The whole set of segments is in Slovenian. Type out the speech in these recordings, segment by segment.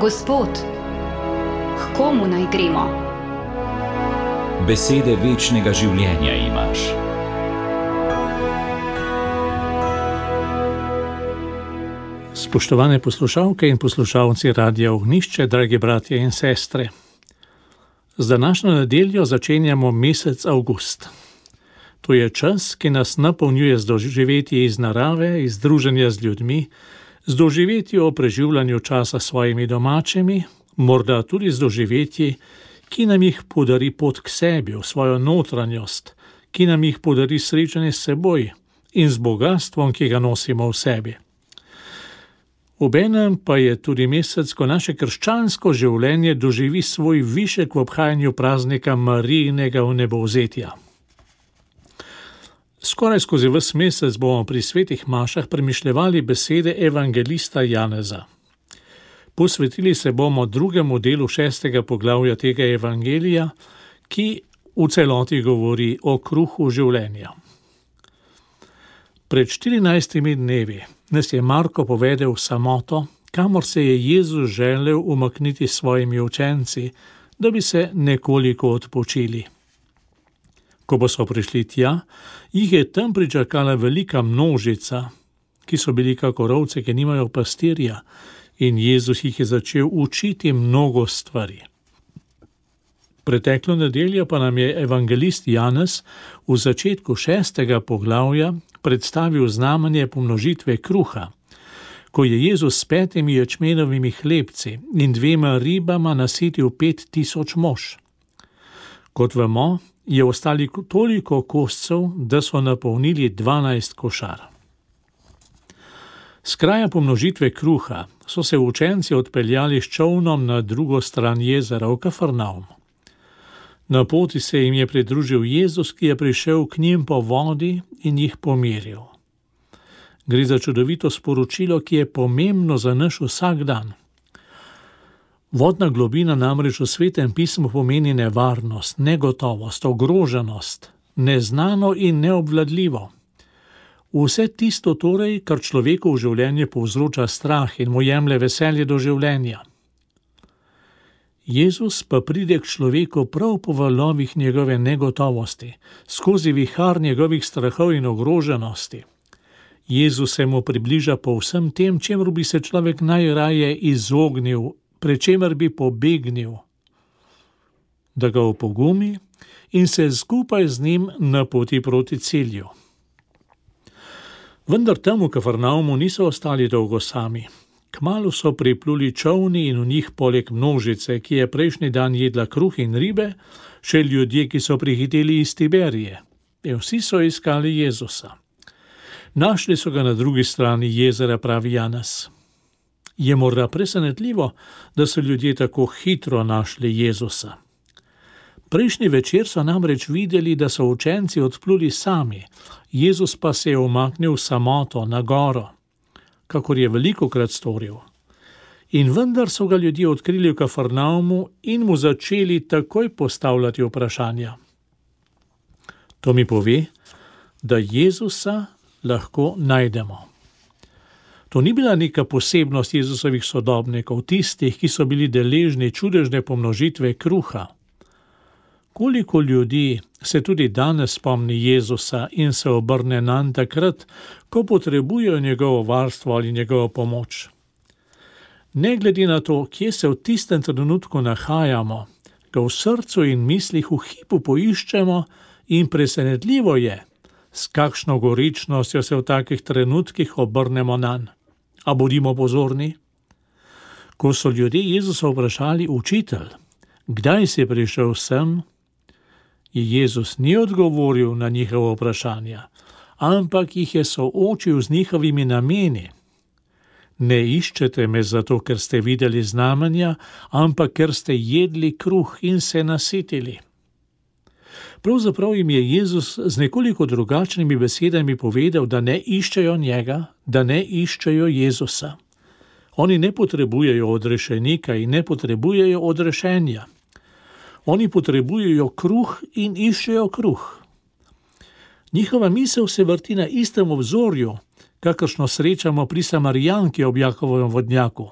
Gospod, k komu naj gremo? Besede večnega življenja imaš. Spoštovane poslušalke in poslušalci Radia Ognjišče, dragi bratje in sestre. Z današnjo nedeljo začenjamo mesec avgust. To je čas, ki nas napolnjuje z doživetji iz narave, iz druženja z ljudmi, z doživetji o preživljanju časa s svojimi domačimi, morda tudi z doživetji, ki nam jih podari pot k sebi, v svojo notranjost, ki nam jih podari srečanje s seboj in z bogastvom, ki ga nosimo v sebi. Obenem pa je tudi mesec, ko naše krščansko življenje doživi svoj višek v obhajanju praznika Marijinega vnebovzetja. Skoraj skozi ves mesec bomo pri svetih mašah premišljevali besede evangelista Janeza. Posvetili se bomo drugemu delu 6. poglavja tega evangelija, ki v celoti govori o kruhu življenja. Pred 14 dnevi nas je Marko povedal v samoto, kamor se je Jezus želel umakniti s svojimi učenci, da bi se nekoliko odpočili. Ko pa so prišli tja, jih je tam pričakala velika množica, ki so bili kakor ovce, ki nimajo pastirja, in Jezus jih je začel učiti mnogo stvari. Preteklo nedeljo pa nam je evangelist Janez v začetku 6. poglavja predstavil znamenje pomnožitve kruha, ko je Jezus s 5 ječmenovimi hlebci in 2 ribama nasitil 5000 mož. Kot vemo, je ostali toliko koscev, da so napolnili 12 košar. S kraja pomnožitve kruha so se učenci odpeljali s čolnom na drugo stran jezera v Kafarnaum. Na poti se jim je pridružil Jezus, ki je prišel k njim po vodi in jih pomiril. Gre za čudovito sporočilo, ki je pomembno za naš vsak dan. Vodna globina namreč v Svetem pismu pomeni nevarnost, negotovost, ogroženost, neznano in neobvladljivo. Vse tisto torej, kar človeku v življenju povzroča strah in mu jemlje veselje do življenja. Jezus pa pride k človeku prav po valovih njegove negotovosti, skozi vihar njegovih strahov in ogroženosti. Jezus se mu približa po vsem tem, čemur bi se človek najraje izognil, pred čemer bi pobegnil, da ga opogumi in se skupaj z njim napoti proti cilju. Vendar tam v Kafarnaumu niso ostali dolgo sami. Kmalu so pripluli čolni in v njih poleg množice, ki je prejšnji dan jedla kruh in ribe, še ljudje, ki so prihiteli iz Tiberije. In vsi so iskali Jezusa. Našli so ga na drugi strani jezera, pravi Janez. Je morda presenetljivo, da so ljudje tako hitro našli Jezusa. Prejšnji večer so namreč videli, da so učenci odpluli sami, Jezus pa se je umaknil samoto na goro, kakor je velikokrat storil. In vendar so ga ljudje odkrili v Kafarnaumu in mu začeli takoj postavljati vprašanja. To mi pove, da Jezusa lahko najdemo. To ni bila neka posebnost Jezusovih sodobnikov, tistih, ki so bili deležni čudežne pomnožitve kruha. Koliko ljudi se tudi danes spomni Jezusa in se obrne nanj takrat, ko potrebujejo njegovo varstvo ali njegovo pomoč. Ne glede na to, kje se v tistem trenutku nahajamo, ga v srcu in mislih v hipu poiščemo in presenetljivo je, s kakšno goričnostjo se v takih trenutkih obrnemo nanj. A bodimo pozorni. Ko so ljudje Jezusa vprašali: Učitelj, kdaj si prišel sem? Je Jezus ni odgovoril na njihovo vprašanje, ampak jih je soočil z njihovimi nameni. Ne iščete me zato, ker ste videli znamenja, ampak ker ste jedli kruh in se nasitili. Pravzaprav jim je Jezus z nekoliko drugačnimi besedami povedal, da ne iščejo njega, da ne iščejo Jezusa. Oni ne potrebujejo odrešenika in ne potrebujejo odrešenja. Oni potrebujejo kruh in iščejo kruh. Njihova misel se vrti na istem obzorju, kakršno srečamo pri Samarijanki ob Jakovovem vodnjaku.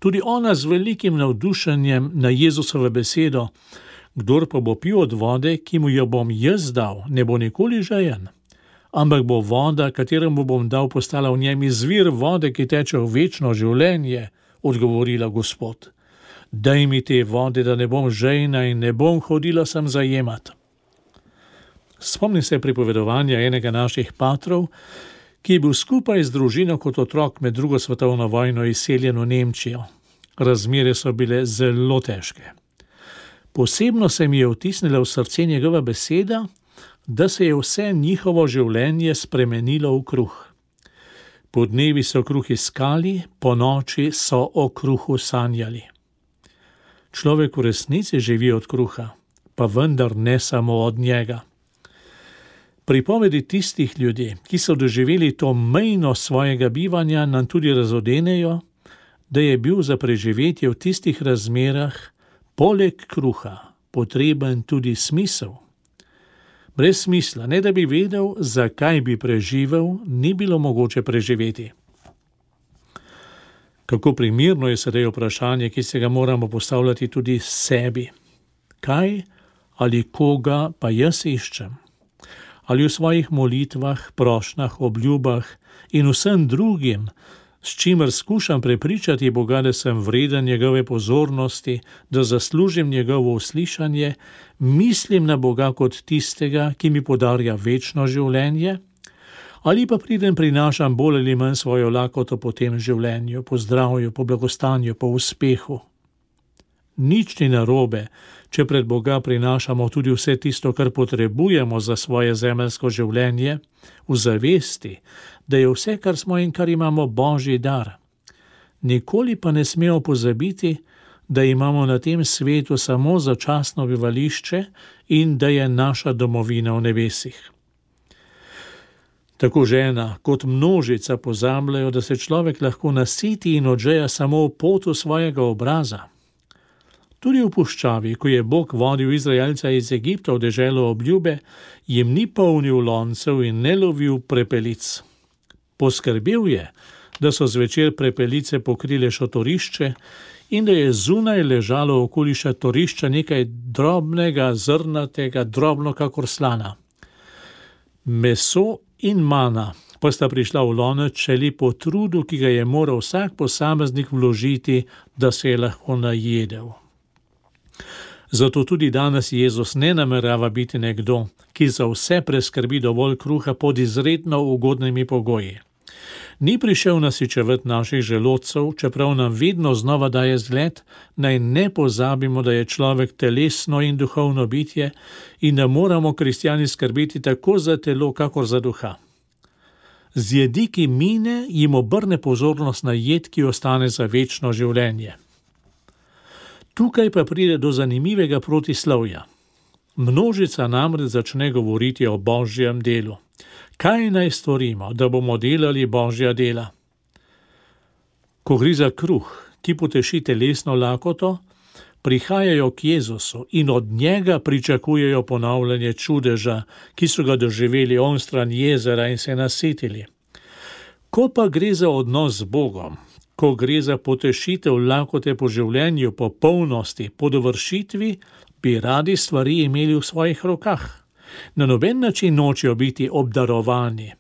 Tudi ona z velikim navdušenjem na Jezusovo besedo: kdor pa bo pil od vode, ki mu jo bom jaz dal, ne bo nikoli žejen, ampak bo voda, kateremu bom dal, postala v njem izvir vode, ki teče v večno življenje, odgovorila Gospod. Daj mi te vode, da ne bom žejna in ne bom hodila sem zajemat. Spomnim se pripovedovanja enega naših patrov, ki je bil skupaj z družino kot otrok med drugo svetovno vojno izseljen v Nemčijo. Razmere so bile zelo težke. Posebno se mi je vtisnila v srce njegova beseda, da se je vse njihovo življenje spremenilo v kruh. Po dnevi so kruh iskali, po noči so o kruhu sanjali. Človek v resnici živi od kruha, pa vendar ne samo od njega. Pripovedi tistih ljudi, ki so doživeli to mejno svojega bivanja, nam tudi razodenejo, da je bil za preživetje v tistih razmerah poleg kruha potreben tudi smisel. Brez smisla, ne da bi vedel, zakaj bi preživel, ni bilo mogoče preživeti. Kako primerno je sedaj vprašanje, ki se ga moramo postavljati tudi sebi. Kaj ali koga pa jaz iščem? Ali v svojih molitvah, prošnjah, obljubah in vsem drugim, s čimer skušam prepričati Boga, da sem vreden njegove pozornosti, da zaslužim njegovo uslišanje, mislim na Boga kot tistega, ki mi podarja večno življenje, ali pa prinašam bolj ali manj svojo lakoto po tem življenju, po zdravju, po blagostanju, po uspehu. Nič ni narobe, če pred Boga prinašamo tudi vse tisto, kar potrebujemo za svoje zemeljsko življenje, v zavesti, da je vse, kar smo in kar imamo, Božji dar. Nikoli pa ne smemo pozabiti, da imamo na tem svetu samo začasno bivališče in da je naša domovina v nebesih. Tako žena kot množica pozabljajo, da se človek lahko nasiti in odžeja samo v potu svojega obraza. Tudi v puščavi, ko je Bog vodil Izraelca iz Egipta v deželo obljube, jim ni polnil loncev in ne lovil prepelic. Poskrbel je, da so zvečer prepelice pokrile šotorišče in da je zunaj ležalo okoli šotorišča nekaj drobnega, zrnatega, drobno kakor slana. Meso in mana pa sta prišla v lonec šele po trudu, ki ga je moral vsak posameznik vložiti, da se je lahko najedel. Zato tudi danes Jezus ne namerava biti nekdo, ki za vse preskrbi dovolj kruha pod izredno ugodnimi pogoji. Ni prišel nasičevati naših želodcev, čeprav nam vedno znova daje zgled, naj ne pozabimo, da je človek telesno in duhovno bitje in da moramo kristjani skrbeti tako za telo, kakor za duha. Z jedi, ki mine, jim obrne pozornost na jed, ki ostane za večno življenje. Tukaj pa pride do zanimivega protislovja. Množica namreč začne govoriti o Božjem delu. Kaj naj storimo, da bomo delali Božja dela? Ko gre za kruh, ki poteši telesno lakoto, prihajajo k Jezusu in od njega pričakujejo ponavljanje čudeža, ki so ga doživeli onstran jezera in se nasitili. Ko pa gre za odnos z Bogom, ko gre za potešitev lakote po življenju, po polnosti, po dovršitvi, bi radi stvari imeli v svojih rokah. Na noben način nočejo biti obdarovani,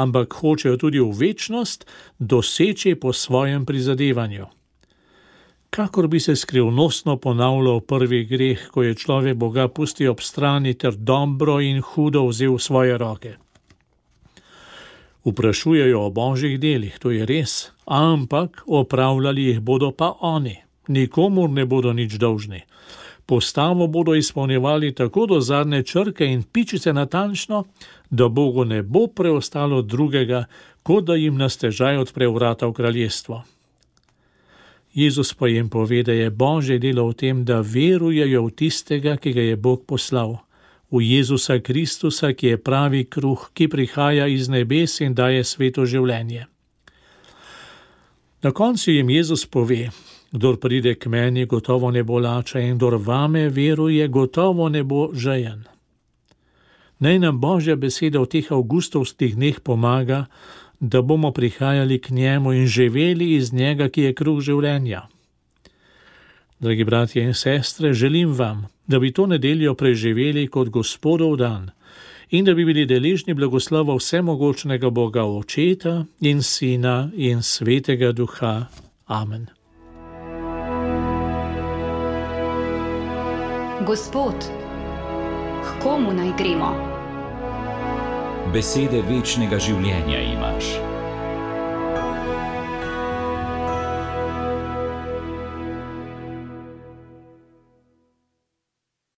ampak hočejo tudi v večnost doseči po svojem prizadevanju. Kakor bi se skrivnostno ponavljal prvi greh, ko je človek Boga pustil ob strani ter dobro in hudo vzel v svoje roke. Vprašujejo o Božjih delih, to je res, ampak opravljali jih bodo pa oni. Nikomur ne bodo nič dolžni. Postavo bodo izpolnjevali tako do zadnje črke in pičice natančno, da Bogu ne bo preostalo drugega, kot da jim na stežaj odpre vrata v kraljestvo. Jezus pa jim pove, da je Božje delo v tem, da verujejo v tistega, ki ga je Bog poslal, v Jezusa Kristusa, ki je pravi kruh, ki prihaja iz nebes in daje sveto življenje. Na koncu jim Jezus pove: kdor pride k meni, gotovo ne bo lačen, in kdor vame veruje, gotovo ne bo žejen. Naj nam Božja beseda v teh avgustovskih dneh pomaga, da bomo prihajali k njemu in živeli iz njega, ki je kruh življenja. Dragi bratje in sestre, želim vam, da bi to nedeljo preživeli kot Gospodov dan in da bi bili deležni blagoslova vsemogočnega Boga Očeta in Sina in Svetega Duha. Amen. Gospod, h komu naj gremo? Besede večnega življenja imaš.